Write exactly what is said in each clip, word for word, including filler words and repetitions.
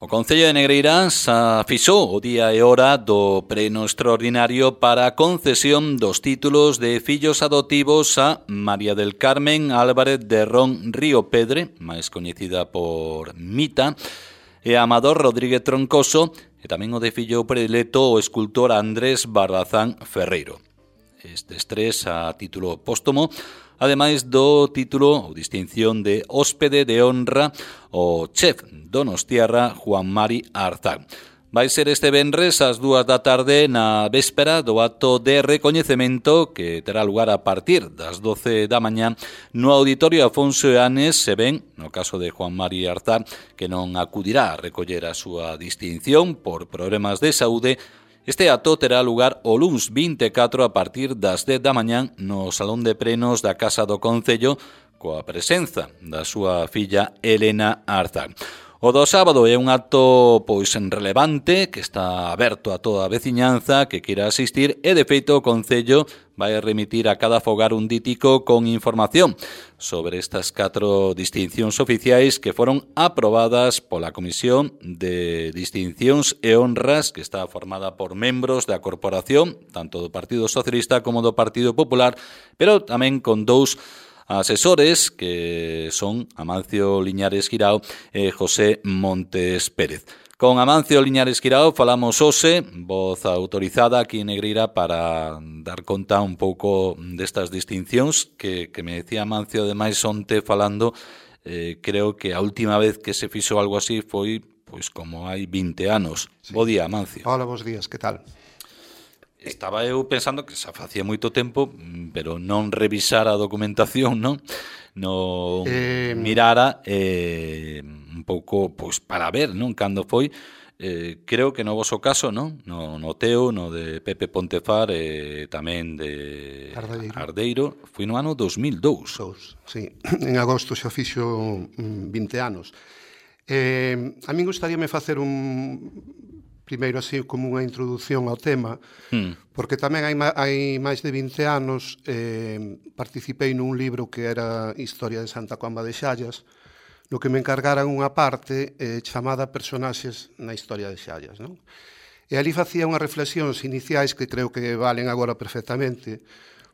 O Concello de Negreiras afixou o día e hora do pleno extraordinario para a concesión dos títulos de fillos adoptivos a María del Carmen Álvarez de Ron Río Pedre, máis coñecida por Mita, e a Amador Rodríguez Troncoso, e tamén o de fillo predilecto o escultor Andrés Barbazán Ferreiro. Estes tres a título póstumo, ademais do título ou distinción de hóspede de honra o chef donostiarra Juan Mari Arzán. Vai ser este venres ás dúas da tarde na véspera do acto de recoñecemento que terá lugar a partir das doce da mañá no Auditorio Afonso Eanes, se ben, no caso de Juan Mari Arzán, que non acudirá a recoller a súa distinción por problemas de saúde. Este acto terá lugar o luns vinte e catro a partir das dez da mañán no Salón de Plenos da Casa do Concello coa presenza da súa filla Elena Arzán. O do sábado é un acto pois relevante que está aberto a toda a veciñanza que queira asistir e de feito o Concello vai remitir a cada fogar un dítico con información sobre estas catro distincións oficiais que foron aprobadas pola Comisión de Distincións e Honras que está formada por membros da corporación, tanto do Partido Socialista como do Partido Popular, pero tamén con dous asesores que son Amancio Liñares Guirao e José Montes Pérez. Con Amancio Liñares Guirao falamos hoxe, voz autorizada aquí en Negreira para dar conta un pouco destas distincións que, que me decía Amancio ademais onte falando, eh, creo que a última vez que se fixo algo así foi pois como hai vinte anos. Sí. Bo día, Amancio. Hola, bons días, que tal? Estaba eu pensando que xa facía moito tempo, pero non revisara a documentación, non? Non eh... mirara eh, un pouco pois para ver, non? Cando foi, eh, creo que no voso caso, non? No, no teu, no de Pepe Pontefar e eh, tamén de Ardeiro. Ardeiro, foi no ano dos mil dous. Dous, sí. En agosto xa fixo vinte anos. Eh, a min gustaríame facer un... primeiro así como unha introdución ao tema, hmm. porque tamén hai, hai máis de vinte anos eh, participei nun libro que era Historia de Santa Comba de Xallas, no que me encargaran unha parte eh, chamada Personaxes na Historia de Xallas, non? E ali facía unhas reflexións iniciais que creo que valen agora perfectamente,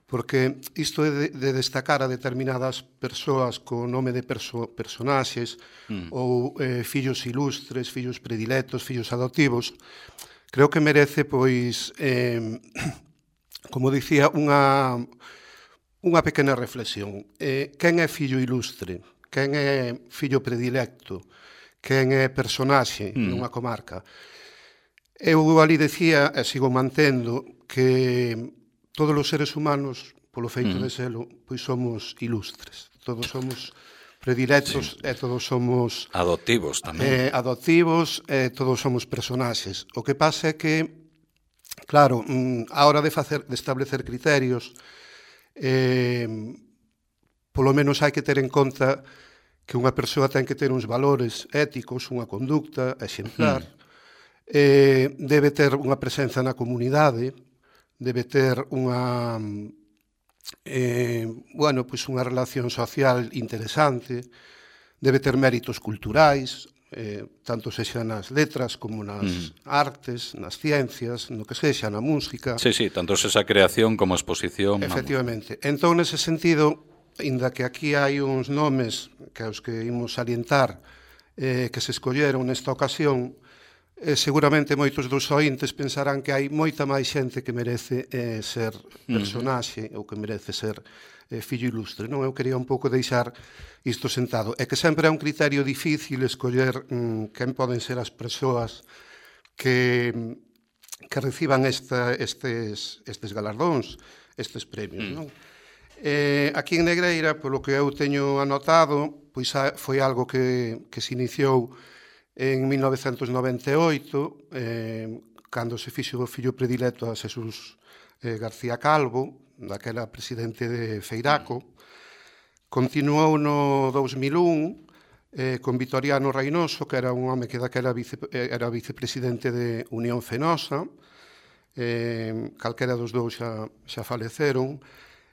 porque isto de, de destacar a determinadas persoas co nome de perso, personaxes mm. ou eh, fillos ilustres, fillos predilectos, fillos adoptivos, creo que merece, pois, eh, como dicía, unha, unha pequena reflexión. Eh, quen é fillo ilustre? Quen é fillo predilecto? Quen é personaxe mm. nunha comarca? Eu ali decía, e sigo mantendo, que todos os seres humanos, polo feito mm. de selo, pois somos ilustres. Todos somos predilectos sí. e todos somos... Adoptivos tamén. Eh, adoptivos e todos somos personaxes. O que pasa é que, claro, a hora de, facer, de establecer criterios, eh, polo menos hai que ter en conta que unha persoa ten que ter uns valores éticos, unha conducta exemplar, mm. eh, debe ter unha presenza na comunidade, debe ter unha eh, bueno, pois unha relación social interesante, debe ter méritos culturais, eh, tanto sexa nas letras como nas mm. artes, nas ciencias, no que sexa, na música. Sí, sí, tanto esa creación como exposición. Efectivamente. Vamos. Entón, nese sentido, inda que aquí hai uns nomes que os que imos salientar eh, que se escolleron nesta ocasión, Eh, seguramente moitos dos ointes pensarán que hai moita máis xente que merece eh, ser personaxe mm. ou que merece ser eh, fillo ilustre. Non, eu quería un pouco deixar isto sentado. É que sempre é un criterio difícil escoller mm, quen poden ser as persoas que, que reciban esta, estes, estes galardóns, estes premios. Mm. Non? Eh, aquí en Negreira, polo que eu teño anotado, pois foi algo que, que se iniciou en mil novecentos noventa e oito, eh, cando se fixo o fillo predilecto a Xesús eh, García Calvo, daquela presidente de Feiraco. Continuou no dous mil un eh, con Vitoriano Reinoso, que era un home que daquela vice, era vicepresidente de Unión Fenosa, eh, calquera dos dous xa, xa faleceron.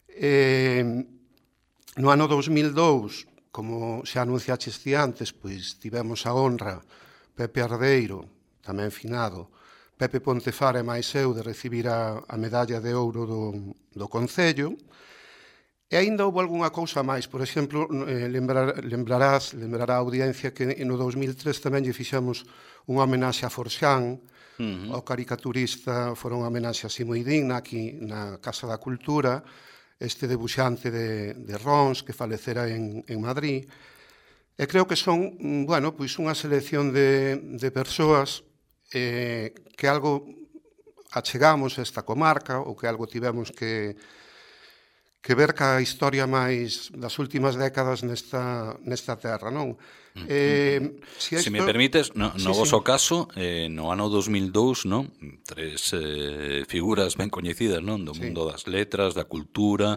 Eh, no ano dous mil dous, como xa anunciaches ti antes, pois tivemos a honra Pepe Ardeiro, tamén finado, Pepe Pontefar e máis eu de recibir a, a medalla de ouro do, do Concello. E aínda houve algunha cousa máis. Por exemplo, eh, lembrar, lembrarás, lembrará a audiencia que no dos mil tres tamén lle fixemos unha homenaxe a Forxán, uh-huh. ao caricaturista, fora unha homenaxe así moi digna aquí na Casa da Cultura, este debuxante de, de Rons que falecera en, en Madrid. E creo que son, bueno, pois unha selección de, de persoas eh, que algo achegamos a esta comarca ou que algo tivemos que, que ver ca historia máis das últimas décadas nesta, nesta terra, non? Eh, si, esto... si me permites, no, no sí, voso sí. caso, eh, no ano dos mil dous, non? Tres eh, figuras ben coñecidas, non? Do sí. mundo das letras, da cultura,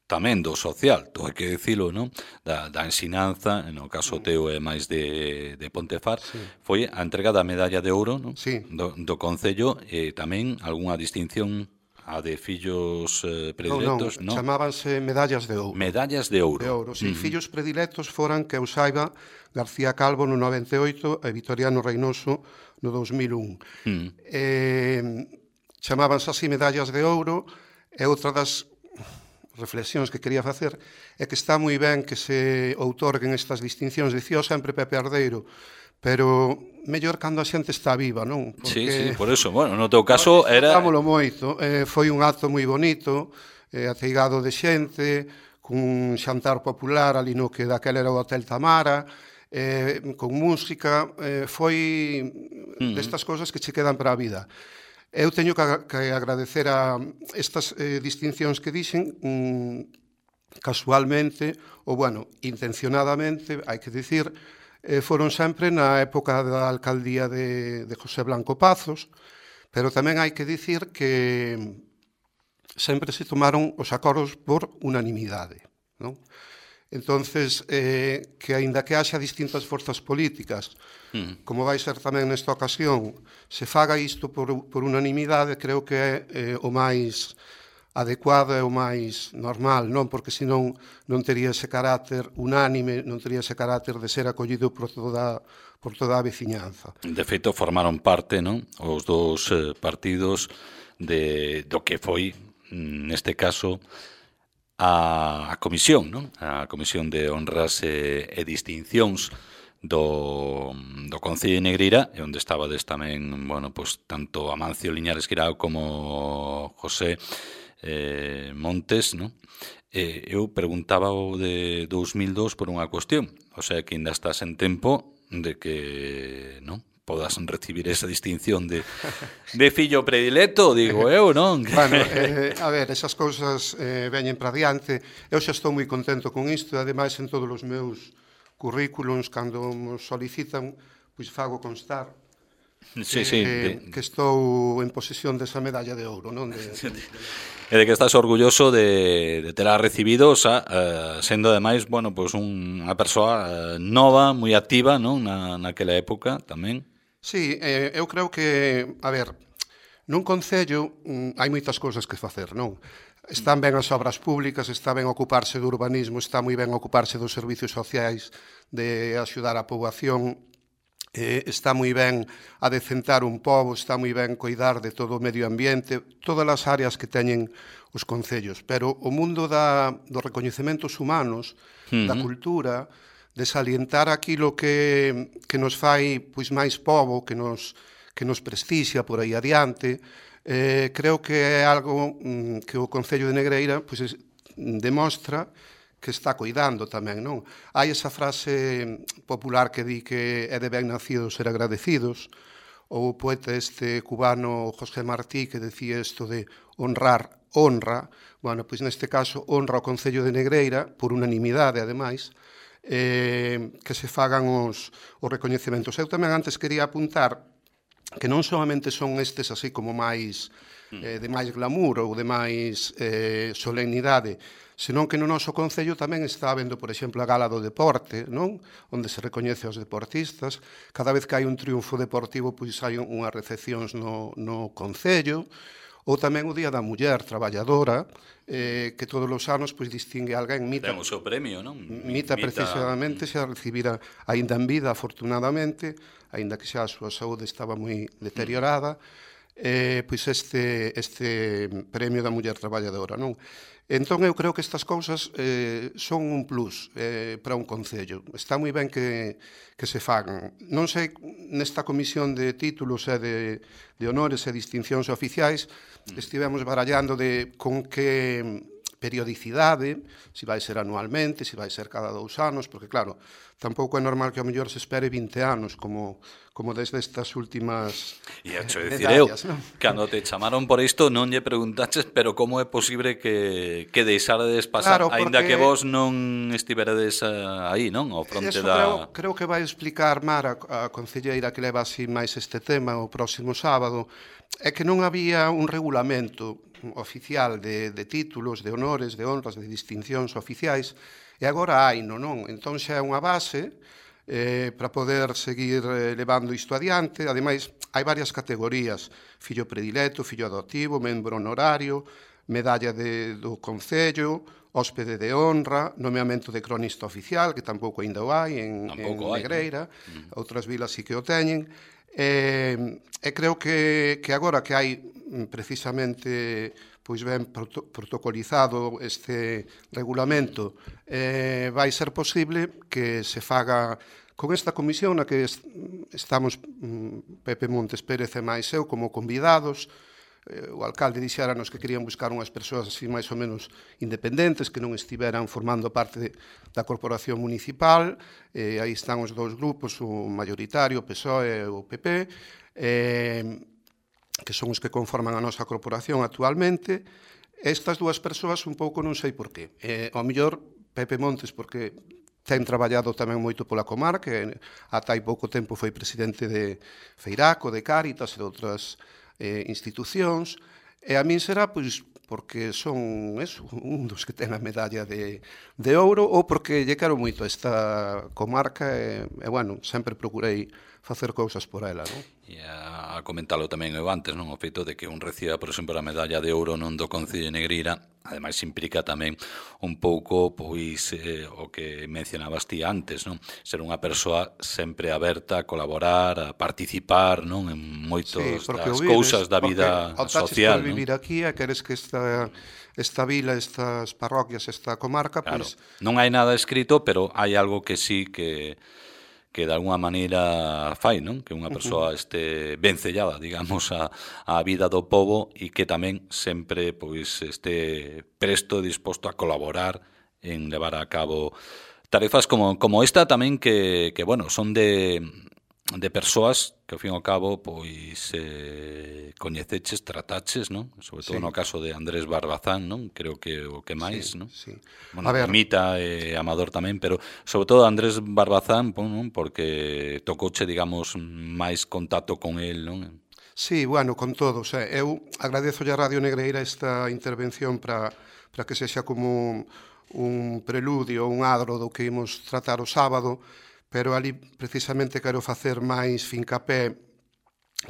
tamén do social, todo hai que dicilo, non? Da, da ensinanza, no caso teu é máis de, de Pontefar, sí. foi a entrega da medalla de ouro, non? Sí. Do, do Concello, e tamén algunha distinción a de fillos eh, predilectos, non? Non, chamábanse medallas de ouro. Medallas de ouro. De ouro, sí. Uh-huh. Fillos predilectos foran, que eu saiba, García Calvo no noventa e oito e Vitoriano Reynoso no dos mil un. Uh-huh. Eh, chamábanse así medallas de ouro, e outra das reflexións que quería facer é que está moi ben que se outorguen estas distincións. Dicía sempre Pepe Ardeiro, pero mellor cando a xente está viva, non? Porque, sí, sí, por eso, bueno, no teu caso era... Dámolo moito, eh, foi un acto moi bonito, eh, ateigado de xente, cun xantar popular ali no que daquela era o Hotel Tamara, eh, con música, eh, foi uh-huh. destas cousas que che quedan para a vida. Eu teño que, que agradecer a estas eh, distincións que dixen mm, casualmente, ou, bueno, intencionadamente, hai que dicir, eh, foron sempre na época da alcaldía de, de José Blanco Pazos, pero tamén hai que dicir que sempre se tomaron os acordos por unanimidade, non? Entonces, eh, que aínda que haxa distintas forzas políticas, mm. como vai ser tamén nesta ocasión, se faga isto por, por unanimidade, creo que é eh, o máis adecuado e o máis normal, non? Porque senón non tería ese carácter unánime, non tería ese carácter de ser acollido por toda, por toda a veciñanza. De feito, formaron parte, non? Os dous eh, partidos de, do que foi, neste caso, a, a comisión, non? A comisión de honras e, e distincións do, do Concello de Negreira, e onde estabades tamén, bueno, pues, tanto Amancio Liñares Guirao como José eh, Montes, non? E eu preguntaba o de dos mil dous por unha cuestión, o sea que ainda estás en tempo de que, non? Podas recibir esa distinción de, de fillo predilecto, digo eu, non? Bueno, eh, a ver, esas cousas eh, veñen para diante. Eu xa estou moi contento con isto, e ademais en todos os meus currículums, cando nos solicitan, pois fago constar sí, que, sí, de... que estou en posesión desa medalla de ouro, non? De, de... E de que estás orgulloso de, de terá recibido, o sea, uh, sendo ademais, bueno, pues unha persoa uh, nova, moi activa, non? Na, naquela época tamén. Sí, eh, eu creo que, a ver, nun concello mm, hai moitas cousas que facer, non? Están ben as obras públicas, está ben ocuparse do urbanismo, está moi ben ocuparse dos servicios sociais, de axudar a poboación, eh, está moi ben adecentar un pobo, está moi ben coidar de todo o medio ambiente, todas as áreas que teñen os concellos, pero o mundo da, dos recoñecementos humanos, uh-huh. da cultura, de salientar aquilo que, que nos fai pois máis pobo, que nos, que nos prestixia por aí adiante, eh, creo que é algo mm, que o Concello de Negreira pois, es, demostra que está coidando tamén, non? Hai esa frase popular que di que é de ben nacidos ser agradecidos, ou o poeta este cubano José Martí que decía isto de honrar, honra, bueno, pois neste caso honra o Concello de Negreira, por unanimidade ademais, Eh, que se fagan os, os recoñecementos. Eu tamén antes quería apuntar que non solamente son estes así como máis eh, de máis glamour ou de máis eh, solemnidade, senón que no noso concello tamén está habendo, por exemplo, a Gala do Deporte, non? Onde se recoñece aos deportistas. Cada vez que hai un triunfo deportivo, pois hai unhas recepcións no, no concello. Ou tamén o Día da Muller Traballadora, eh, que todos os anos pois, distingue alguén. Mita, ten o seu premio, non? Mita, precisamente, xa recibira aínda en vida, afortunadamente, aínda que xa a súa saúde estaba moi deteriorada, eh, pois este, este premio da Muller Traballadora, non? Entón, eu creo que estas cousas eh, son un plus eh, para un concello. Está moi ben que, que se fagan. Non sei, nesta comisión de títulos e de, de honores e distincións oficiais, estivemos barallando de con que periodicidade, se vai ser anualmente, se vai ser cada dous anos, porque, claro, tampouco é normal que ao mellor se espere vinte anos, como, como desde estas últimas E hecho, decir eu, non? cando te chamaron por isto non lle preguntaches, pero como é posible que, que deixaredes pasar, claro, aínda que vos non estiveredes aí, non? Ao fronte eso da... creo, creo que vai explicar Mara, a concelleira que leva así máis este tema o próximo sábado, é que non había un regulamento oficial de, de títulos, de honores, de honras, de distincións oficiais, e agora hai, non? non? Entón xa é unha base eh, para poder seguir eh, levando isto adiante. Ademais, hai varias categorías: fillo predilecto, fillo adoptivo, membro honorario, medalla de, do Concello, hóspede de honra, nomeamento de cronista oficial, que tampouco ainda o hai en, en Negreira, ¿no? Outras vilas sí que o teñen. E, e creo que, que agora que hai precisamente pois ben proto, protocolizado este regulamento, eh, vai ser posible que se faga con esta comisión na que est estamos Pepe Montes Pérez e máis eu como convidados. Eh, o alcalde dixéranos que querían buscar unhas persoas así máis ou menos independentes, que non estiveran formando parte de, da corporación municipal. Eh, aí están os dous grupos, o mayoritario, o P S O E e o P P, eh, que son os que conforman a nosa corporación actualmente. Estas dúas persoas un pouco non sei por qué. Eh, ao mellor Pepe Montes porque ten traballado tamén moito pola comarca, e ata hai pouco tempo foi presidente de Feiraco, de Cáritas e de outras eh, institucións, e a min será pois porque son eso, un dos que ten a medalla de, de ouro, ou porque lle quero moito esta comarca e, e bueno, sempre procurei facer cousas por ela, non? E a comentalo tamén eu antes, non? O feito de que un reciba, por exemplo, a medalla de ouro non do Concello de Negreira, ademais implica tamén un pouco pois eh, o que mencionabas ti antes, non? Ser unha persoa sempre aberta a colaborar, a participar, non? En moitos sí, das vives, cousas da vida social, non? Vivir aquí e queres que esta esta vila, estas parroquias, esta comarca, claro, pois non hai nada escrito, pero hai algo que sí que que de alguna maneira fai, non? Que unha persoa este vencellada, digamos, a, a vida do pobo e que tamén sempre pois este presto e disposto a colaborar en levar a cabo tarefas como, como esta tamén que, que bueno, son de, de persoas que ao fin e ao cabo pois eh, coñeceches, trataches, non? Sobre todo sí. No caso de Andrés Barbazán, non? Creo que o que máis, sí, non? Sí. Bueno, Mita e eh, Amador tamén, pero sobre todo Andrés Barbazán, non? Porque tocouche, digamos, máis contacto con el, non? Sí, bueno, con todos. Eh. Eu agradezo a Radio Negreira esta intervención para para que sexa como un, un preludio, un adro do que imos tratar o sábado, pero ali precisamente quero facer máis fincapé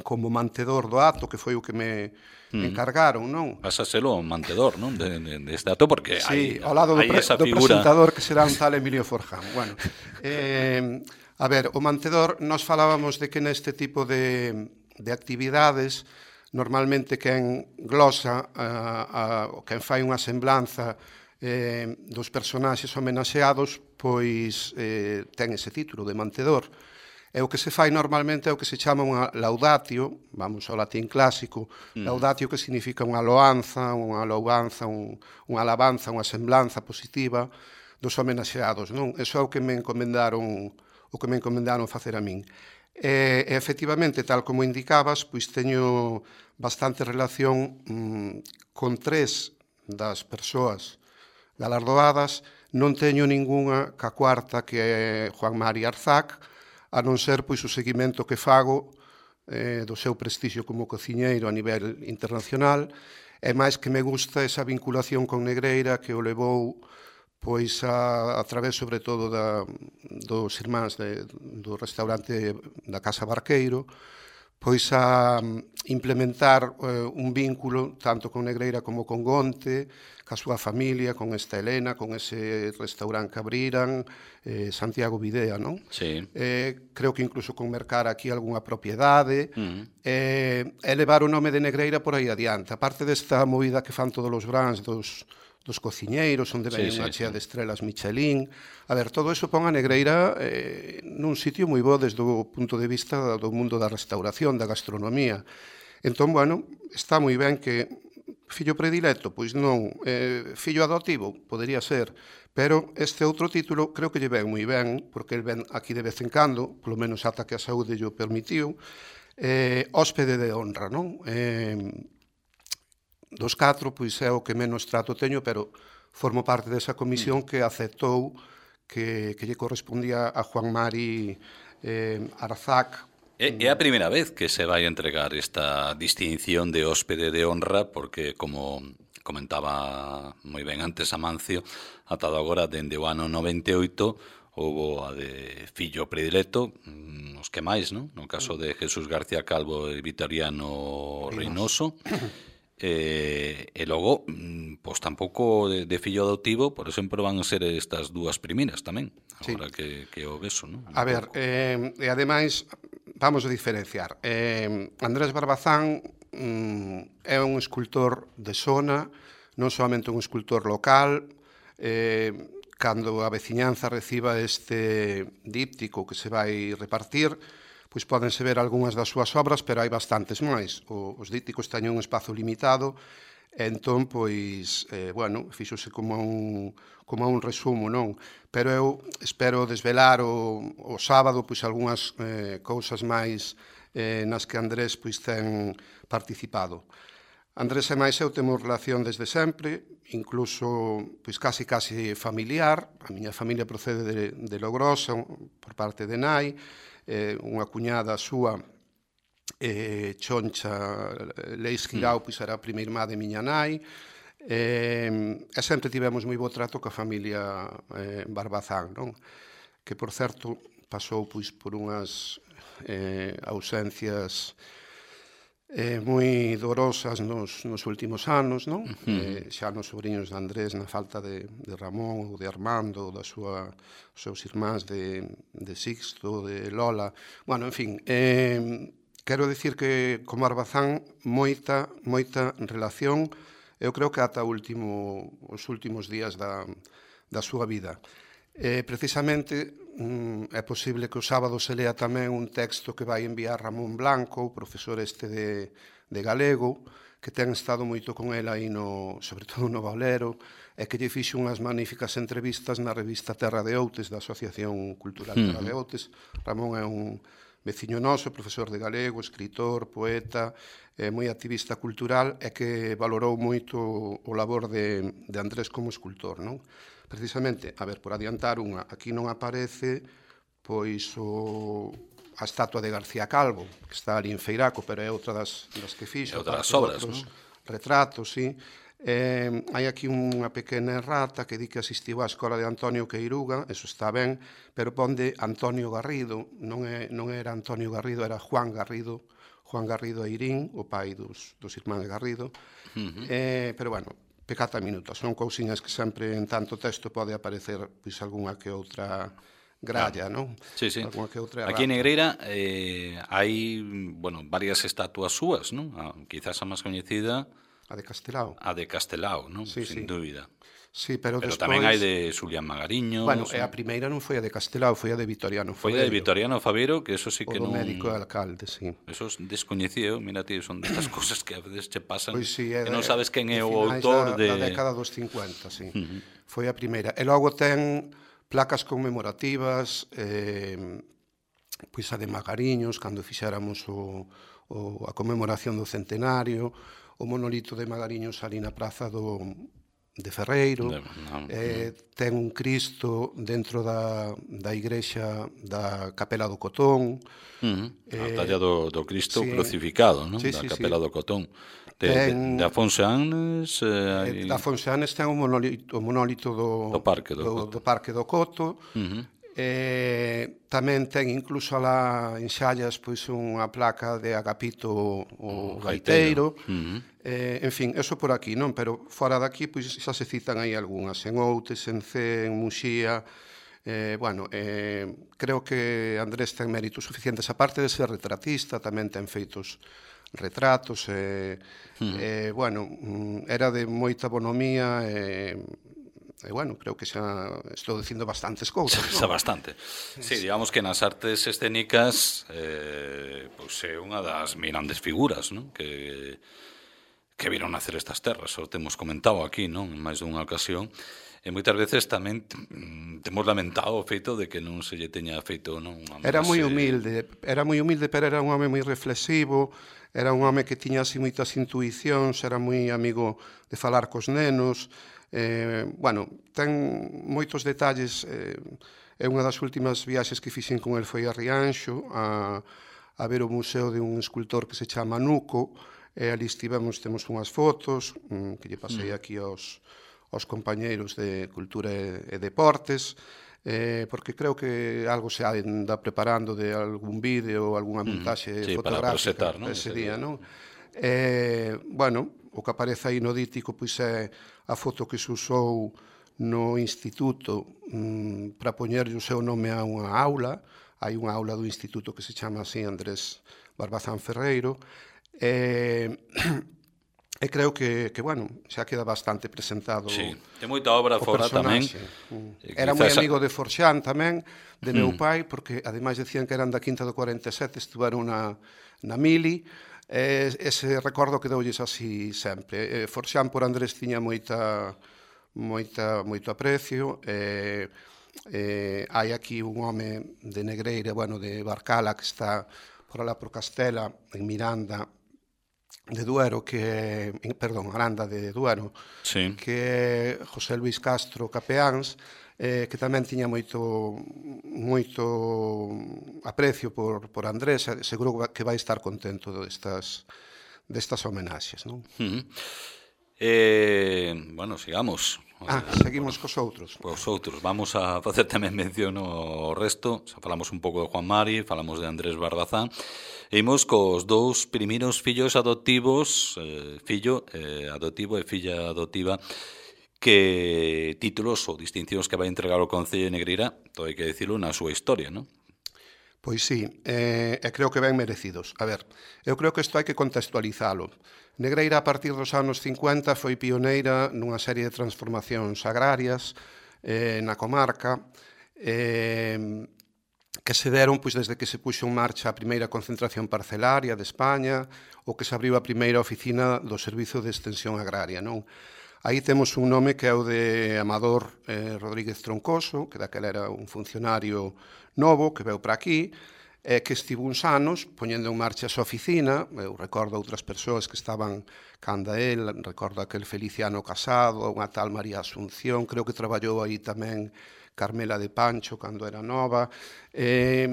como mantedor do acto, que foi o que me mm. encargaron, non? Vas a ser o mantedor, non? De, de, de este acto, porque sí, hai, ao lado do, hai pre, esa do figura... presentador que será un tal Emilio Forján. Bueno, eh, a ver, o mantedor, nos falábamos de que neste tipo de, de actividades, normalmente quen glosa, a, a, quen fai unha semblanza eh, dos personaxes homenaxeados, pois eh, ten ese título de mantedor. E o que se fai normalmente é o que se chama unha laudatio, vamos ao latín clásico, mm. laudatio que significa unha loanza, unha louanza, un, unha alabanza, unha semblanza positiva dos homenaxeados, non? Eso é o que me encomendaron, o que me encomendaron facer a min. E, e efectivamente, tal como indicabas, pois teño bastante relación mm, con tres das persoas galardoadas, non teño ningunha ca cuarta, que é Juan Mari Arzac, a non ser pois o seguimento que fago eh, do seu prestixio como cociñeiro a nivel internacional, e máis que me gusta esa vinculación con Negreira que o levou pois a, a través sobre todo da, dos irmáns de, do restaurante da Casa Barqueiro, pois a implementar eh, un vínculo tanto con Negreira como con Gonte, ca súa familia, con esta Helena, con ese restaurante que abriran, eh, Santiago Videa, non? Sí. Eh, creo que incluso con mercar aquí algunha propiedade, Uh-huh. eh, e levar o nome de Negreira por aí adiante. A parte desta movida que fan todos os brans dos, dos cociñeiros, onde ven Sí, unha sí, chea sí. de estrelas Michelin. A ver, todo eso pon a Negreira eh, nun sitio moi bo desde o punto de vista do mundo da restauración, da gastronomía. Entón, bueno, está moi ben que fillo predilecto, pois non, eh, fillo adoptivo, podería ser, pero este outro título creo que lle ven moi ben, porque el ven aquí de vez en cando, polo menos ata que a saúde lle o permitiu, eh, hóspede de honra, non? Eh, dos catro, pois é o que menos trato teño, pero formo parte desa comisión que aceptou que, que lle correspondía a Juan Mari eh, Arzac. É, é a primeira vez que se vai entregar esta distinción de hóspede de honra, porque, como comentaba moi ben antes Amancio, atado agora dende o ano noventa e oito houbo a de fillo predilecto, os que máis, non? No caso de Jesús García Calvo e Vitoriano Reynoso. E, e logo, pois tampouco de, de fillo adoptivo, por exemplo, van a ser estas dúas primeiras tamén, agora sí. que, que o beso, non? A ver, eh, e ademais, vamos a diferenciar. Eh, Andrés Barbazán mm, é un escultor de zona, non somente un escultor local. Eh, cando a veciñanza reciba este díptico que se vai repartir, pois pódense ver algunhas das súas obras, pero hai bastantes máis. O, os dípticos teñen un espazo limitado, e entón, pois, eh, bueno, fíxose como un, como un resumo, non? Pero eu espero desvelar o, o sábado, pois, algunhas eh, cousas máis eh, nas que Andrés, pois, ten participado. Andrés e máis eu temos relación desde sempre, incluso, pois, casi, casi familiar. A miña familia procede de, de Logrosa, por parte de nai, eh, unha cuñada súa, eh, Choncha Leis Girao, pois era a primeira irmá de miña nai, eh, e sempre tivemos moi bo trato coa familia eh, Barbazán, non? Que, por certo, pasou pois por unhas eh, ausencias eh, moi dolorosas nos, nos últimos anos, non? Uh-huh. Eh, xa nos sobrinhos de Andrés, na falta de, de Ramón ou de Armando, ou da súa, os seus irmáns de, de Sixto, de Lola. Bueno, en fin, eh, quero dicir que con Barbazán moita, moita relación, eu creo que ata último, os últimos días da, da súa vida. Eh, precisamente, mm, é posible que o sábado se lea tamén un texto que vai enviar Ramón Blanco, o profesor este de, de galego, que ten estado moito con el aí, no, sobre todo no Bolero, e que lle fixo unhas magníficas entrevistas na revista Terra de Outes, da Asociación Cultural Terra de Outes. Ramón é un veciño noso, profesor de galego, escritor, poeta, eh, moi activista cultural, e que valorou moito o labor de, de Andrés como escultor, non? Precisamente, a ver, por adiantar unha, aquí non aparece pois o, a estatua de García Calvo, que está ali en Feiraco, pero é outra das, das que fixo. É outra das obras, non? Retratos, sí. Eh, hai aquí unha pequena errata que di que asistiu á escola de Antonio Queiruga, eso está ben, pero pon de Antonio Garrido, non, é, non era Antonio Garrido, era Juan Garrido, Juan Garrido Eirín, o pai dos, dos irmáns Garrido. Uh-huh. eh, pero, bueno, pecata minuta, son cousiñas que sempre en tanto texto pode aparecer pois algunha que outra gralla, claro. Non? Sí, sí. Alguna que outra aquí en Negreira eh, hai, bueno, varias estatuas súas, non? Ah, quizás a máis coñecida a de Castelao. A de Castelao, non? Sí, sin sí. dúbida. Sí, pero, pero despois... tamén hai de Xulián Magariño. Bueno, e a primeira non foi a de Castelao, foi a de Vitoriano Faveiro. Foi a de Vitoriano Faveiro, que eso sí que non... O do médico e alcalde, sí. Eso descoñecido, mira, tío, son destas cosas que a veces che pasan, pois sí, é, que non sabes quen é o da, autor de... da década dos cincuenta, sí. Uh-huh. Foi a primeira. E logo ten placas conmemorativas, eh, pois a de Magariños, cando fixéramos o, o, a conmemoración do centenario, o monolito de Magariños ali na praza do... de Ferreiro, de, no, eh, no. ten un Cristo dentro da, da igrexa da Capela do Cotón. Uh-huh. Eh, a talla do, do Cristo sí, crucificado, non? Sí, da sí, Capela sí. do Cotón. De, ten, de, de Afonso Anes... Eh, de Afonso Anes ten o monolito, o monolito do, do, parque do, do, do Parque do Coto. Uh-huh. Eh, tamén ten incluso alá en Xallas pois unha placa de Agapito o gaiteiro. Uh -huh. eh, en fin, eso por aquí, non? Pero fora daqui pois xa se citan aí algunhas, en Outes, en Cee, en Muxía. Eh, bueno, eh, creo que Andrés ten méritos suficientes, aparte de ser retratista, tamén ten feitos retratos, e, eh, uh -huh. eh, bueno, era de moita bonomía, e eh, E, bueno, creo que xa estou dicindo bastantes cousas, xa, xa bastante. Sí, digamos que nas artes escénicas eh, pois é unha das mirandes figuras, non? Que, que viron nacer estas terras, o temos comentado aquí, non? En máis dunha ocasión. E moitas veces tamén temos lamentado o feito de que non se lle teña feito, non? Era moi humilde, era moi humilde, pero era un home moi reflexivo, era un home que tiña así moitas intuicións, era moi amigo de falar cos nenos. Eh, bueno, ten moitos detalles. Eh, é unha das últimas viaxes que fixen con el foi a Rianxo a, a ver o museo de un escultor que se chama Nuco, e ali estivemos, temos unhas fotos mm, que lle pasei aquí aos, aos compañeiros de Cultura e, e Deportes, eh, porque creo que algo se anda preparando de algún vídeo ou algunha montaxe sí, fotográfica para prosetar, non? ese día, non? Eh, bueno, o que aparece aí no dítico pois é a foto que se usou no instituto mmm, para poñerlle o seu nome a unha aula. Hai unha aula do instituto que se chama así Andrés Barbazán Ferreiro, e, e creo que, que, bueno, xa queda bastante presentado. Sí, ten moita obra fora tamén. Era moi amigo de Forxán tamén, de meu pai, porque ademais decían que eran da Quinta do cuarenta e sete, estuvaron na, na Mili. Eh, ese recordo quedoulles así sempre. Eh, Forxán por Andrés tiña moita, moita, moito aprecio. Eh, eh, hai aquí un home de Negreira, bueno, de Barcala, que está por alá por Castela, en Miranda de Duero, que é, perdón, Aranda de Duero, sí. Que é José Luis Castro Capeáns, eh, que tamén tiña moito moito aprecio por, por Andrés, seguro que vai estar contento destas, destas homenaxes, non? Uh -huh. eh, bueno, sigamos. Ah, seguimos cos outros. Cos outros, vamos a facer tamén mención ao resto. Xa falamos un pouco de Juan Mari, falamos de Andrés Barbazán, e imos cos dous primeiros fillos adoptivos, eh, fillo eh, adoptivo e filla adoptiva, que títulos ou distincións que vai entregar o Concello de Negreira, todo hai que dicilo, na súa historia, non? Pois sí, eh, e creo que ben merecidos. A ver, eu creo que isto hai que contextualizalo. Negreira, a partir dos anos cincuenta, foi pioneira nunha serie de transformacións agrarias eh, na comarca, eh, que se deron pois, desde que se puxo en marcha a primeira concentración parcelaria de España, ou que se abriu a primeira oficina do Servizo de Extensión Agraria, non? Aí temos un nome que é o de Amador eh, Rodríguez Troncoso, que daquela era un funcionario novo que veu para aquí, eh, que estivo uns anos poñendo en marcha a súa oficina. Eu recordo outras persoas que estaban canda él, recordo aquel Feliciano Casado, unha tal María Asunción, creo que traballou aí tamén Carmela de Pancho cando era nova. Eh,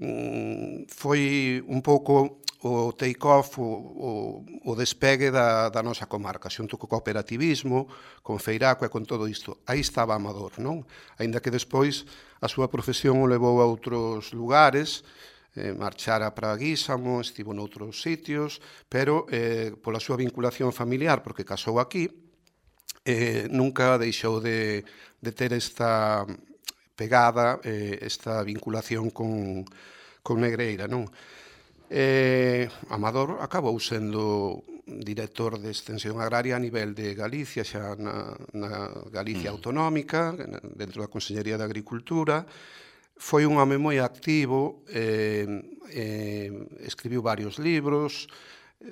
mm, foi un pouco o take-off, o, o, o despegue da, da nosa comarca, xunto co cooperativismo, con Feiraco e con todo isto. Aí estaba Amador, non? Aínda que despois a súa profesión o levou a outros lugares, eh, marchara para Guísamo, estivo noutros sitios, pero eh, pola súa vinculación familiar, porque casou aquí, eh, nunca deixou de, de ter esta pegada, eh, esta vinculación con, con Negreira, non? Eh, Amador acabou sendo director de extensión agraria a nivel de Galicia, xa na, na Galicia mm. autonómica, dentro da Consellería de Agricultura. Foi un home moi activo, eh, eh, escribiu varios libros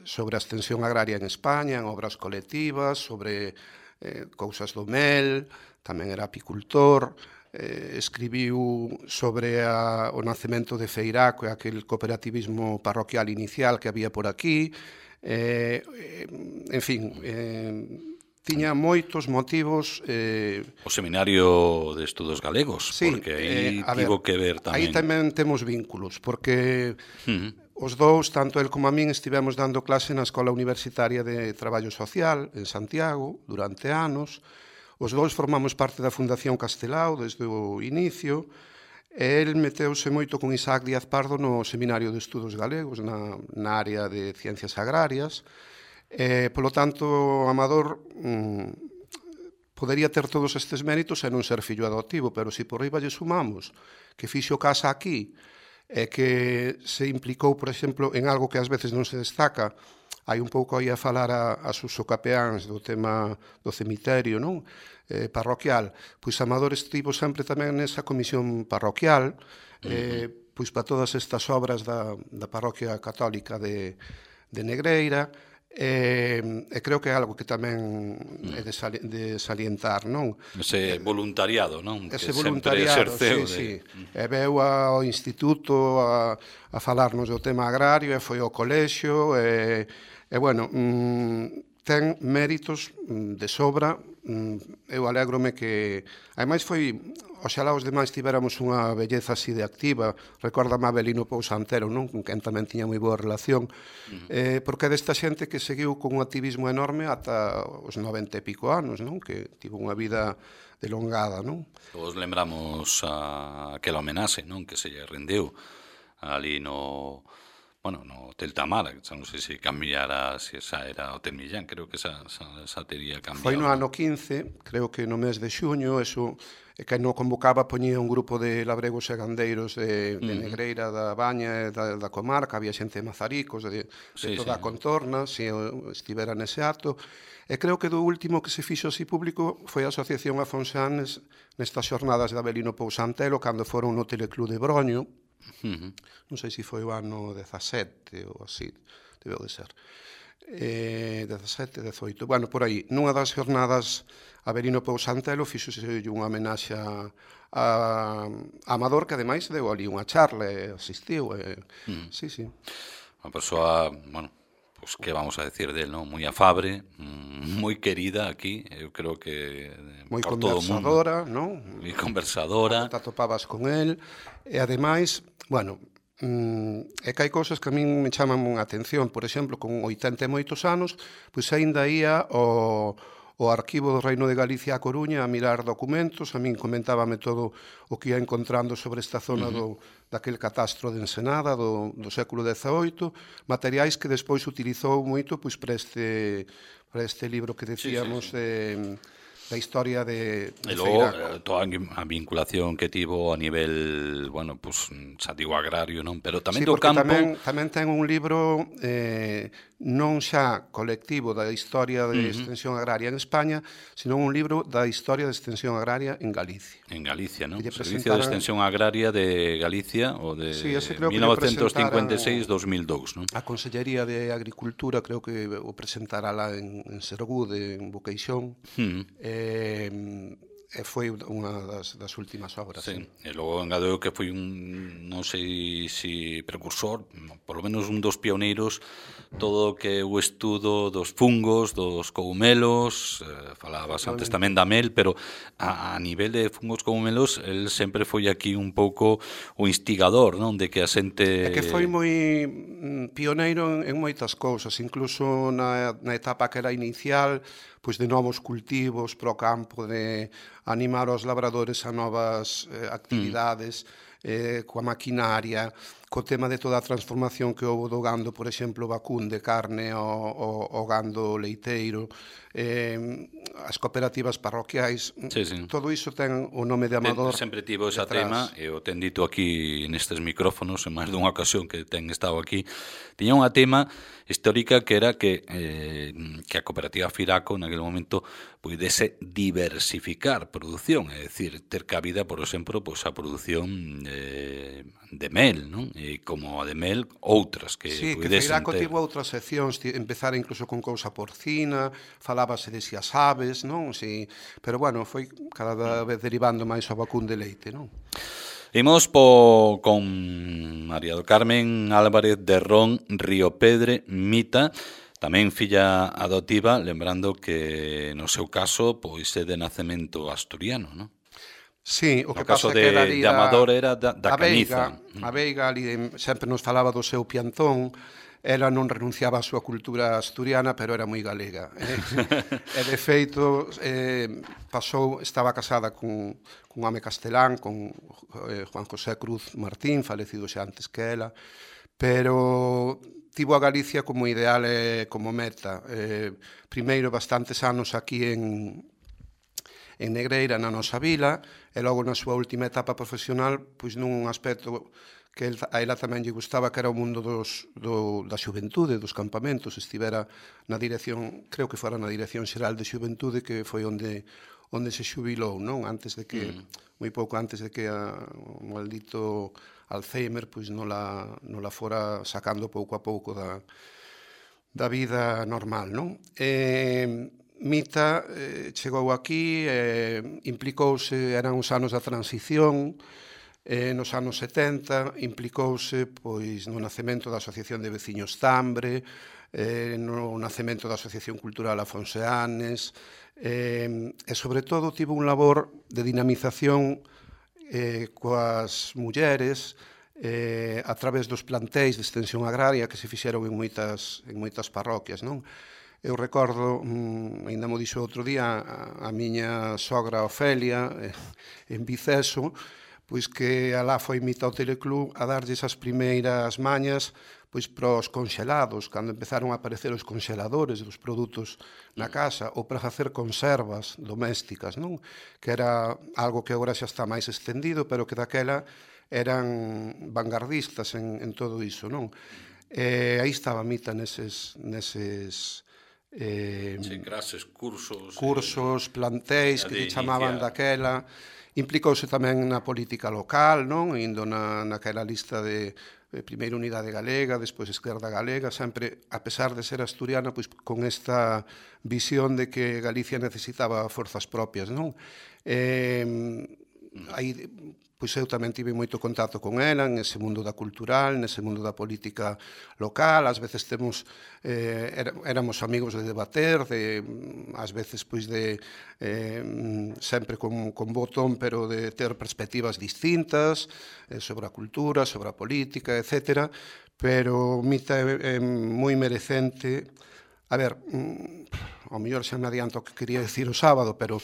sobre a extensión agraria en España, en obras colectivas, sobre eh, cousas do mel, tamén era apicultor. Eh, escribiu sobre a, o nacemento de Feiraco e aquel cooperativismo parroquial inicial que había por aquí. Eh, eh, en fin, eh, tiña moitos motivos. Eh, o Seminario de Estudos Galegos, sí, porque aí eh, tivo ver, que ver tamén. Aí tamén temos vínculos, porque uh-huh. os dous, tanto el como a min, estivemos dando clase na Escola Universitaria de Traballo Social en Santiago durante anos. Os dous formamos parte da Fundación Castelao desde o inicio, e el meteuse moito con Isaac Díaz Pardo no Seminario de Estudos Galegos, na, na área de Ciencias Agrarias. Eh, polo tanto, Amador mm, podería ter todos estes méritos e non ser fillo adoptivo, pero se por riba lle sumamos que fixo casa aquí, e que se implicou, por exemplo, en algo que ás veces non se destaca, hai un pouco aí a falar a, a sus capeáns do tema do cemiterio, non? Eh, parroquial, pois Amador estivo sempre tamén nesa comisión parroquial, eh, pois para todas estas obras da, da parroquia católica de, de Negreira, e, e creo que é algo que tamén é de, sali, de salientar, non? Ese voluntariado, non? Ese que voluntariado, sí, de... sí. E veu ao instituto a, a falarnos do tema agrario, e foi ao colexio, e, e bueno, mmm, ten méritos de sobra. Eu alégrome que... Ademais foi... Oxalá os demais tiveramos unha belleza así de activa. Recórdame a Avelino Pousa Antero, non? Con quen tamén tiña moi boa relación. Uh-huh. eh, porque é desta xente que seguiu con un activismo enorme ata os noventa e pico anos, non? Que tivo unha vida delongada, non? Todos lembramos a aquela homenaxe, non? Que se lle rendeu ali no... Bueno, no Hotel Tamara, non sei se cambiara, se esa era Hotel Millán, creo que esa, esa, esa tería cambiado. Foi no ano quince, creo que no mes de xuño, eso, que non convocaba, poñía un grupo de labregos e gandeiros de, de Negreira, da Baña, da, da comarca, había xente de Mazaricos, de, de sí, toda sí. a contorna, se estivera nese acto, e creo que do último que se fixo así público foi a Asociación Afonsanes nestas xornadas de Avelino Pousa Antelo, cando foron no Teleclub de Broño. Uh-huh. Non sei se foi o ano dezasete ou así, debeu de ser eh, dezasete, dezoito, bueno, por aí nunha das jornadas Avelino Pousa Antelo fixose unha homenaxe a, a Amador, que ademais deu ali unha charla e asistiu e, uh-huh. sí, sí. Unha persoa, bueno, pues que vamos a decir del, ¿no? Moi afable, moi querida aquí, eu creo que moi por todo o mundo. Conversadora, non? Moi conversadora. Te atopabas con el, e ademais, bueno, mm, é que hai cousas que a min me chaman a atención, por exemplo, con oitenta e moitos anos, pois aínda ia o o Arquivo do Reino de Galicia a Coruña a mirar documentos, a min comentábame todo o que ia encontrando sobre esta zona uh-huh. do, daquel catastro de Ensenada do, do século dezaoito, materiais que despois utilizou moito pois para este, para este libro que decíamos sí, sí, sí. de... da historia de, de e logo, toda a vinculación que tivo a nivel, bueno, pues, xa digo agrario, non? Pero tamén sí, do campo... Tamén, tamén ten un libro eh, non xa colectivo da historia de uh-huh. extensión agraria en España, sino un libro da historia de extensión agraria en Galicia. En Galicia, non? Servicio de Extensión Agraria de Galicia, o de sí, mil novecientos cincuenta e seis a dos mil dous, non? A Consellería de Agricultura creo que o presentará lá en, en Sergude, en Boqueixón, uh-huh. eh, e foi unha das, das últimas obras. Sí, sí. E logo engadeu que foi un, non sei se precursor, por lo menos un dos pioneiros, todo o que o estudo dos fungos, dos cogumelos, eh, falabas antes tamén da mel, pero a, a nivel de fungos cogumelos, el sempre foi aquí un pouco o instigador, non? De que a xente... É que foi moi pioneiro en, en moitas cousas, incluso na, na etapa que era inicial, pois de novos cultivos para o campo, de animar os labradores a novas eh, actividades, mm. eh, coa maquinaria, co tema de toda a transformación que houve do gando, por exemplo, vacún de carne ao, ao, ao gando leiteiro, eh, as cooperativas parroquiais, sí, sí. todo iso ten o nome de Amador. Ten, sempre tivo esa tema, e o ten dito aquí nestes micrófonos, en máis dunha ocasión que ten estado aquí, tiña unha tema histórica que era que, eh, que a cooperativa Firaco naquele momento pudese diversificar produción, é dicir, ter cabida, por exemplo, pois a produción de, de mel, non? E como a de mel, outras que sí, pudesen ter. Sí, que Firaco ter... tivo outras seccións, empezar incluso con cousa porcina, falábase de si as aves, non? Si, pero bueno, foi cada vez derivando máis ao vacún de leite, non? Imos po, con María do Carmen Álvarez de Ron Riopedre Mita, tamén filla adoptiva, lembrando que no seu caso pois é de nacemento asturiano, non? Sí, o no que pasa de, que era ali de Amador era da, da a Veiga, Cañiza. A Veiga ali sempre nos falaba do seu piantón, ela non renunciaba á súa cultura asturiana, pero era moi galega. E, de feito, eh, pasou, estaba casada cun, cun home castelán, con eh, Juan José Cruz Martín, falecido xa antes que ela, pero tivo a Galicia como ideal e como meta. Eh, primeiro, bastantes anos aquí en, en Negreira, na nosa vila, e logo na súa última etapa profesional, pois nun aspecto que a ela tamén lle gustaba, que era o mundo dos, do, da xuventude, dos campamentos. Estivera na dirección, creo que fora na Dirección Xeral de Xuventude, que foi onde onde se xubilou, non? Antes de que, mm. moi pouco antes de que a, o maldito Alzheimer pois non la, non la fora sacando pouco a pouco da, da vida normal, non? E Mita eh, chegou aquí, eh, implicouse, eran os anos da transición, eh, nos anos setenta, implicouse pois no nacemento da Asociación de Veciños Tambre, eh, no nacemento da Asociación Cultural Afonseanes, eh, e sobre todo tivo un labor de dinamización eh, coas mulleres eh, a través dos plantéis de extensión agraria que se fixeron en moitas, en moitas parroquias, non? Eu recordo, mm, ainda mo dixo outro día, a, a miña sogra Ofelia, eh, en Viceso, pois que alá foi Mita ao Teleclub a darlle esas primeiras mañas pois para os conxelados, cando empezaron a aparecer os conxeladores dos produtos na casa, ou para facer conservas domésticas, non? Que era algo que agora xa está máis extendido, pero que daquela eran vanguardistas en, en todo iso, non? E aí estaba Mita neses... neses eh, sí, clases, cursos... Cursos, plantéis, que lle chamaban daquela... Implicouse tamén na política local, non? Indo na, naquela lista de, de primeira Unidade Galega, despois Esquerda Galega, sempre, a pesar de ser asturiana, pois con esta visión de que Galicia necesitaba forzas propias, non? Eh, aí, pois eu tamén tive moito contacto con ela nese mundo da cultural, nese mundo da política local, ás veces temos eh, éramos amigos de debater, de ás veces pois de eh, sempre con, con botón, pero de ter perspectivas distintas eh, sobre a cultura, sobre a política, etcétera, pero Mita é, é moi merecente. A ver, ao mellor xa me adianto o que quería dicir o sábado, pero...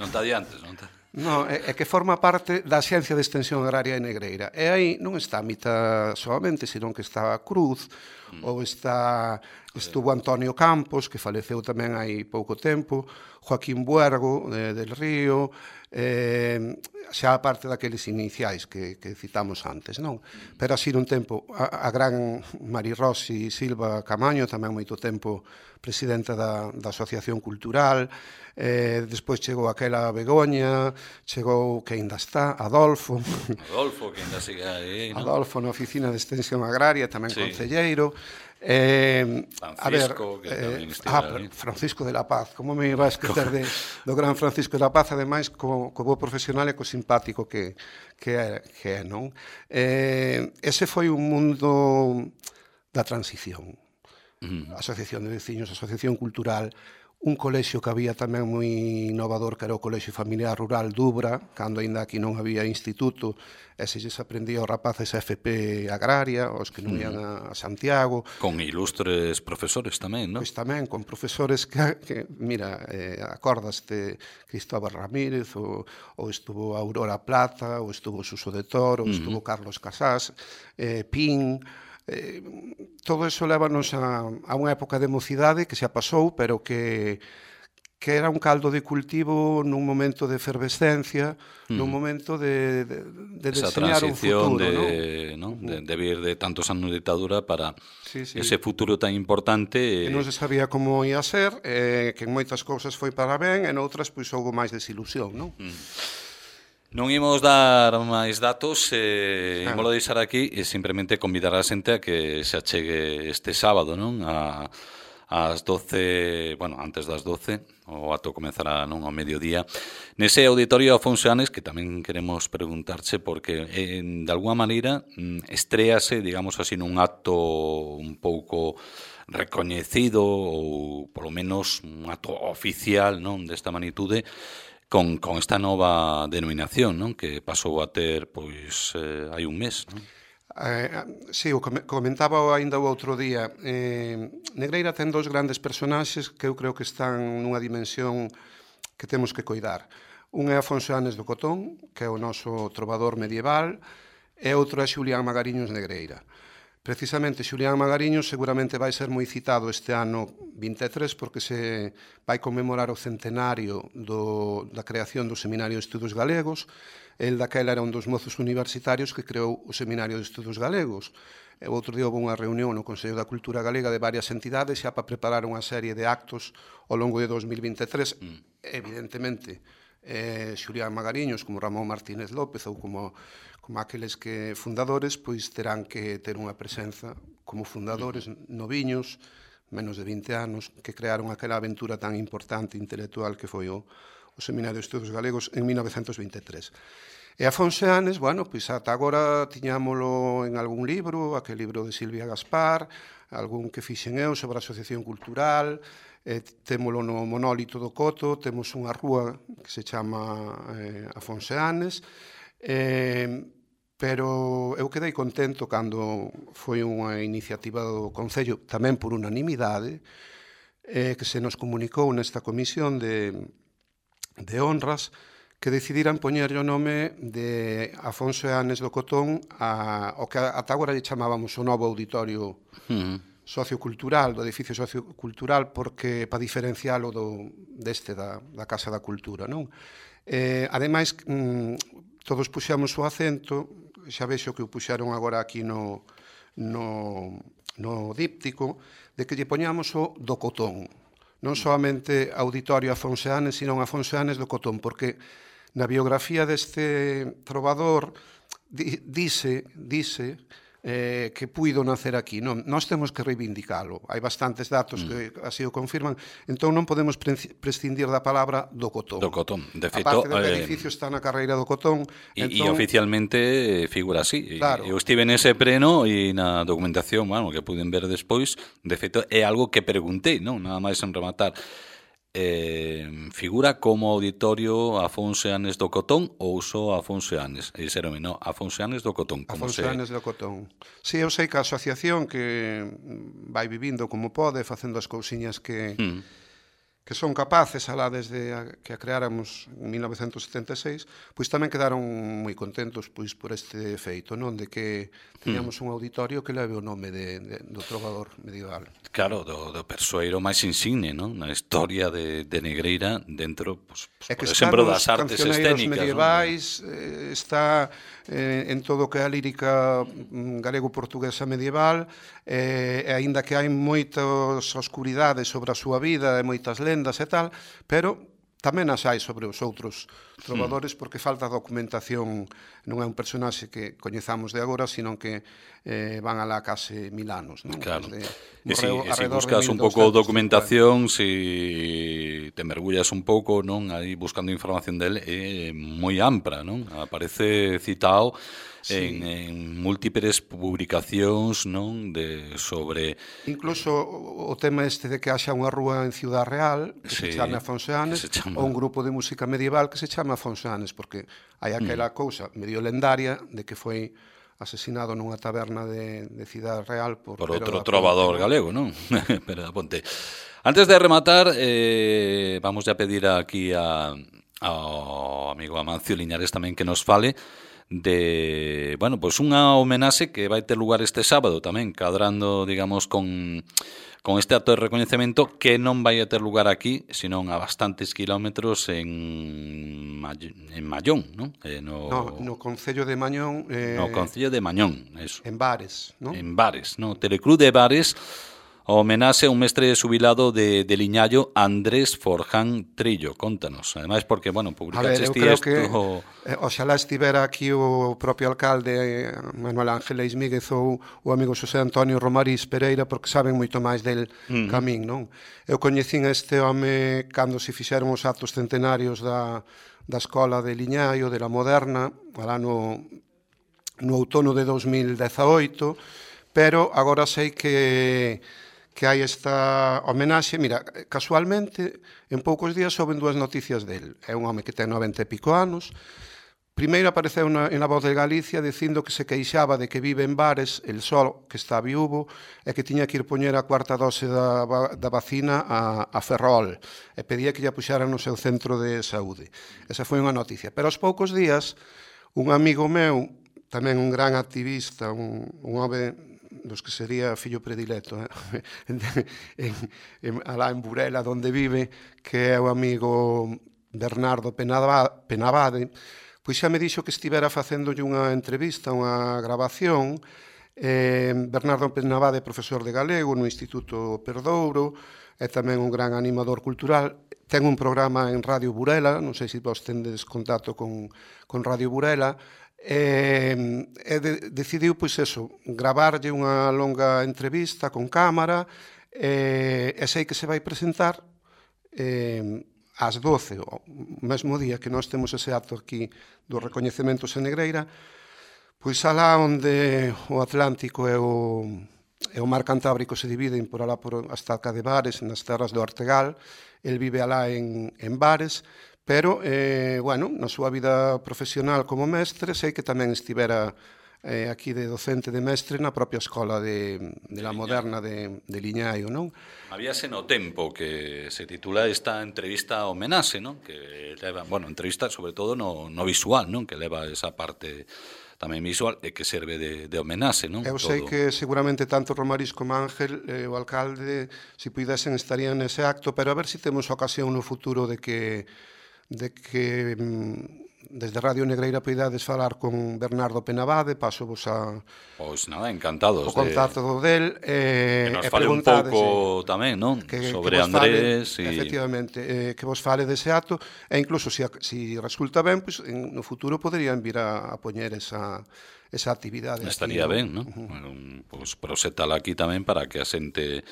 Non te adiantes, non te... No, é, é que forma parte da Xencia de Extensión Agraria de Negreira. E aí non está Mita solamente, senón que está Cruz, mm. ou está estuvo Antonio Campos, que faleceu tamén hai pouco tempo, Joaquín Buergo, de, del Río, eh, xa a parte daqueles iniciais que, que citamos antes, non? Pero así nun tempo, a, a gran Mari Rossi Silva Camaño, tamén moito tempo presidenta da, da Asociación Cultural, eh, despois chegou aquela Begoña, chegou, que ainda está, Adolfo. Adolfo, que ainda sigue aí, non? Adolfo na Oficina de Extensión Agraria, tamén sí. Concelleiro. Eh, Francisco, a ver, que tamén eh, estiva ah, aí. Francisco de la Paz, como me iba a esquecer de, do gran Francisco de la Paz, ademais, co, co bo profesional e co simpático que, que, é, que é, non? Eh, ese foi un mundo da transición. Mm. Asociación de veciños, asociación cultural, un colexio que había tamén moi innovador, que era o Colexio Familiar Rural Dubra, cando ainda aquí non había instituto, e se lles aprendía aos rapaces a F P agraria, os que non ian a Santiago. Con ilustres profesores tamén, non? Pois tamén, con profesores que, que mira, eh, acordaste Cristóbal Ramírez, ou, ou estuvo Aurora Plata, ou estuvo Suso de Toro, ou estuvo uh -huh. Carlos Casás, eh, Pin... Eh, todo eso lévanos a, a unha época de mocidade que xa pasou, pero que, que era un caldo de cultivo nun momento de efervescencia, mm. nun momento de, de, de deseñar un futuro. De, ¿no? ¿no? De, de vir de tantos anos de ditadura para sí, sí. ese futuro tan importante. Que non se sabía como ia ser, eh, que en moitas cousas foi para ben, en outras pois houve máis desilusión, non? Mm. Non imos dar máis datos, eh, ah. imolo deixar aquí e simplemente convidar a xente a que se achegue este sábado, non? A, ás doce, bueno, antes das doce, o ato comezará non ao mediodía, nese auditorio Afonseanes, que tamén queremos preguntarche, porque eh, de alguma maneira estréase, digamos así, nun acto un pouco recoñecido, ou polo menos un acto oficial, non, desta magnitude, Con, con esta nova denominación, non? Que pasou a ter, pois, eh, hai un mes, non? Eh, sí, o comentaba ainda o outro día. Eh, Negreira ten dous grandes personaxes que eu creo que están nunha dimensión que temos que coidar. Un é Afonso Anes do Cotón, que é o noso trovador medieval, e outro é Xulián Magariños Negreira. Precisamente Xulián Magariños seguramente vai ser moi citado este ano vinte e tres porque se vai conmemorar o centenario do, da creación do Seminario de Estudos Galegos. El daquela era un dos mozos universitarios que creou o Seminario de Estudos Galegos. E o outro día houve unha reunión no Consello da Cultura Galega de varias entidades xa para preparar unha serie de actos ao longo de dos mil vinte e tres. Mm. Evidentemente, eh, Xulián Magariños, como Ramón Martínez López ou como, como aqueles que fundadores, pois terán que ter unha presenza como fundadores noviños, menos de vinte anos, que crearon aquela aventura tan importante intelectual que foi o, o Seminario de Estudos Galegos en mil novecentos vinte e tres. E Afonso Anes, bueno, pois ata agora tiñámolo en algún libro, aquel libro de Silvia Gaspar, algún que fixen eu sobre a asociación cultural, eh, témolo no monólito do Coto, temos unha rúa que se chama eh, Afonso Anes, eh, pero eu quedei contento cando foi unha iniciativa do Concello, tamén por unanimidade, eh, que se nos comunicou nesta comisión de, de honras, que decidiran poñerlle o nome de Afonso Anes do Cotón a, o que ata agora lle chamábamos o novo auditorio uh-huh. sociocultural, do edificio sociocultural, porque para diferencialo do, deste da, da Casa da Cultura, non? Eh, ademais, mm, todos puxamos o acento, xa vexo que o puxaron agora aquí no, no, no díptico, de que lle poñamos o do Cotón. Non solamente auditorio Afonso Anes, sino Afonso Anes do Cotón, porque na biografía deste trovador di, dice, dice eh, que puido nacer aquí. Non, nós temos que reivindicalo. Hai bastantes datos mm. que así o confirman. Entón non podemos prescindir da palabra do Cotón. Do Cotón. De feito, a parte do eh, edificio está na carreira do Cotón. E entón... oficialmente figura así. Claro. Eu estive nese preno e na documentación, bueno, que puden ver despois, de feito, é algo que preguntei, non? Nada máis en rematar. Eh, figura como auditorio Afonso Anes do Cotón ou só Afonso Anes? E dixeronme, non, Afonso Anes do Cotón. Como Afonso se... Anes do Cotón. Si, sí, eu sei que a asociación que vai vivindo como pode, facendo as cousiñas que... Mm. que son capaces, alá desde a, que a creáramos en mil novecentos setenta e seis, pois tamén quedaron moi contentos pois por este feito, non? De que teníamos un auditorio que leve o nome de, de, do trovador medieval. Claro, do, do persoeiro máis insigne, non? Na historia de, de Negreira dentro, pues, pues, por exemplo, das artes escénicas. Medievais, ¿no? eh, está eh, en todo o que é a lírica galego-portuguesa medieval, eh, e aínda que hai moitas oscuridades sobre a súa vida e moitas lendas e tal, pero tamén as hai sobre os outros trovadores, porque falta documentación. Non é un personaxe que coñezamos de agora, sino que eh, van alá case mil anos, non? Claro. Desde, e si, e si buscas un pouco documentación, si te mergullas un pouco, non, aí buscando información del, é moi ampla, non? Aparece citado sí. en, en múltiples publicacións, non, de sobre incluso o tema este de que haxa unha rúa en Ciudad Real que sí, se chame Afonso Anes, chama... ou un grupo de música medieval que se chama Afonso Anes, porque hai aquela mm. cousa medio lendaria de que foi asesinado nunha taberna de, de Ciudad Real por, por outro trovador Ponte, galego, non? Pero da Ponte. Antes de rematar, eh, vamos a pedir aquí a, ao amigo Amancio Liñares tamén que nos fale de, bueno, pois pues unha homenaxe que vai ter lugar este sábado tamén, cadrando, digamos, con con este acto de recoñecemento que non vai a ter lugar aquí, senón a bastantes kilómetros en May- en Mallón, non? Eh, no, no, no Concello de Mañón. Eh, no Concello de Mañón, eso. En Bares, non? En Bares, no, Telecruz de Bares, homenaxe a un mestre xubilado de, de Liñallo, Andrés Forján Trillo. Contanos, ademais porque, bueno, publicaste ti isto... Que, eh, oxalá estivera aquí o propio alcalde Manuel Ángel Eismíguez ou o amigo Xosé Antonio Romarís Pereira, porque saben moito máis del uh-huh. camín, non? Eu coñecín este home cando se fixeron os actos centenarios da, da escola de Liñallo, de la Moderna, alá no, no outono de dos mil dezaoito, pero agora sei que... que hai esta homenaxe. Mira, casualmente, en poucos días souben dúas noticias del. É un home que ten noventa e pico anos, primeiro apareceu na, en La Voz de Galicia dicindo que se queixaba de que vive en bares, el sol, que está viúvo, e que tiña que ir poñer a cuarta dose da, da vacina a, a Ferrol, e pedía que lla puxaran no seu centro de saúde. Esa foi unha noticia. Pero aos poucos días, un amigo meu, tamén un gran activista, un, un home dos que sería fillo predilecto, eh? en, en, alá en Burela, onde vive, que é o amigo Bernardo Penabade, pois xa me dixo que estivera facéndolle unha entrevista, unha grabación. eh, Bernardo Penabade é profesor de galego no Instituto Perdouro, é tamén un gran animador cultural, ten un programa en Radio Burela, non sei se vos tendes contacto con, con Radio Burela, e, e de, decidiu, pois eso, gravarlle unha longa entrevista con cámara, e, e sei que se vai presentar eh, ás doce, o mesmo día que nós temos ese acto aquí do recoñecemento en Negreira, pois alá onde o Atlántico e o, e o mar Cantábrico se dividen por alá por hasta Alca de Bares, nas terras do Artegal, el vive alá en, en Bares, pero, eh, bueno, na súa vida profesional como mestre, sei que tamén estivera eh, aquí de docente de mestre na propia escola de, de la Moderna de, de Liñaio, non? Habíase no tempo que se titula esta entrevista homenaxe, non? Que leva, bueno, entrevista sobre todo no, no visual, non? Que leva esa parte tamén visual e que serve de, de homenaxe, non? Eu sei todo. Que seguramente tanto Romariz como Ángel, eh, o alcalde, se puidesen estarían nese acto, pero a ver se si temos ocasión no futuro de que de que desde Radio Negreira poidades falar con Bernardo Penabade, paso vos a... Pois nada, encantados. O contacto de... del. Eh, que nos fale un pouco tamén, non? Que, sobre que Andrés. Fale, y... Efectivamente, eh, que vos fale dese acto, e incluso se si, si resulta ben, pues, en, no futuro poderían vir a, a poñer esa, esa actividade. Estaría aquí, ben, non? Uh -huh. Bueno, pues, prosetala aquí tamén para que a xente...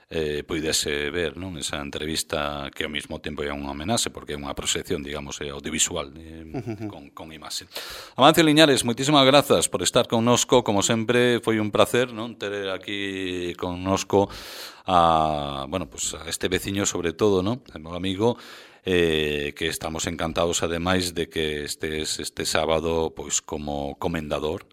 Eh, poidese ver, non, esa entrevista que ao mesmo tempo é unha homenaxe porque é unha proxección, digamos, audiovisual eh, uh -huh. con, con imaxe. Amancio Liñares, moitísimas grazas por estar connosco, como sempre foi un placer, non, ter aquí connosco a, bueno, pues a este veciño sobre todo, non, o meu amigo, eh, que estamos encantados ademais de que estes este sábado pois como comendador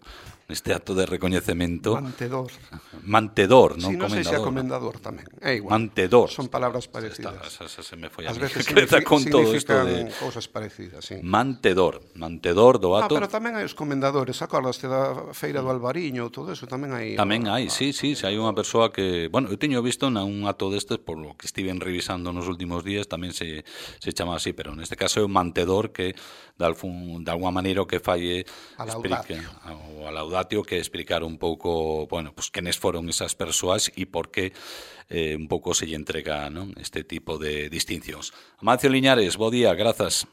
neste acto de recoñecemento. Mantedor. Mantedor, non si, non comendador. sei se é comendador tamén. É igual. Mantedor. Son palabras parecidas. Esta, esa, esa se me foi a As mí. veces con todo isto de cousas parecidas, sí. Mantedor. Mantedor do acto. Ah, pero tamén hai os comendadores, acordaste da feira do Albariño, todo eso tamén hai. Tamén hai, sí, sí, se hai unha persoa que, bueno, eu teño visto nun acto destes por lo que estiven revisando nos últimos días, tamén se se chama así, pero neste caso é un mantedor que de algún de alguma maneira o que fai explique o a laudatio que explicar un pouco, bueno, pues quenes foron esas persoas e por que eh, un pouco se lle entrega, non, este tipo de distincións. Amancio Liñares, bo día, grazas.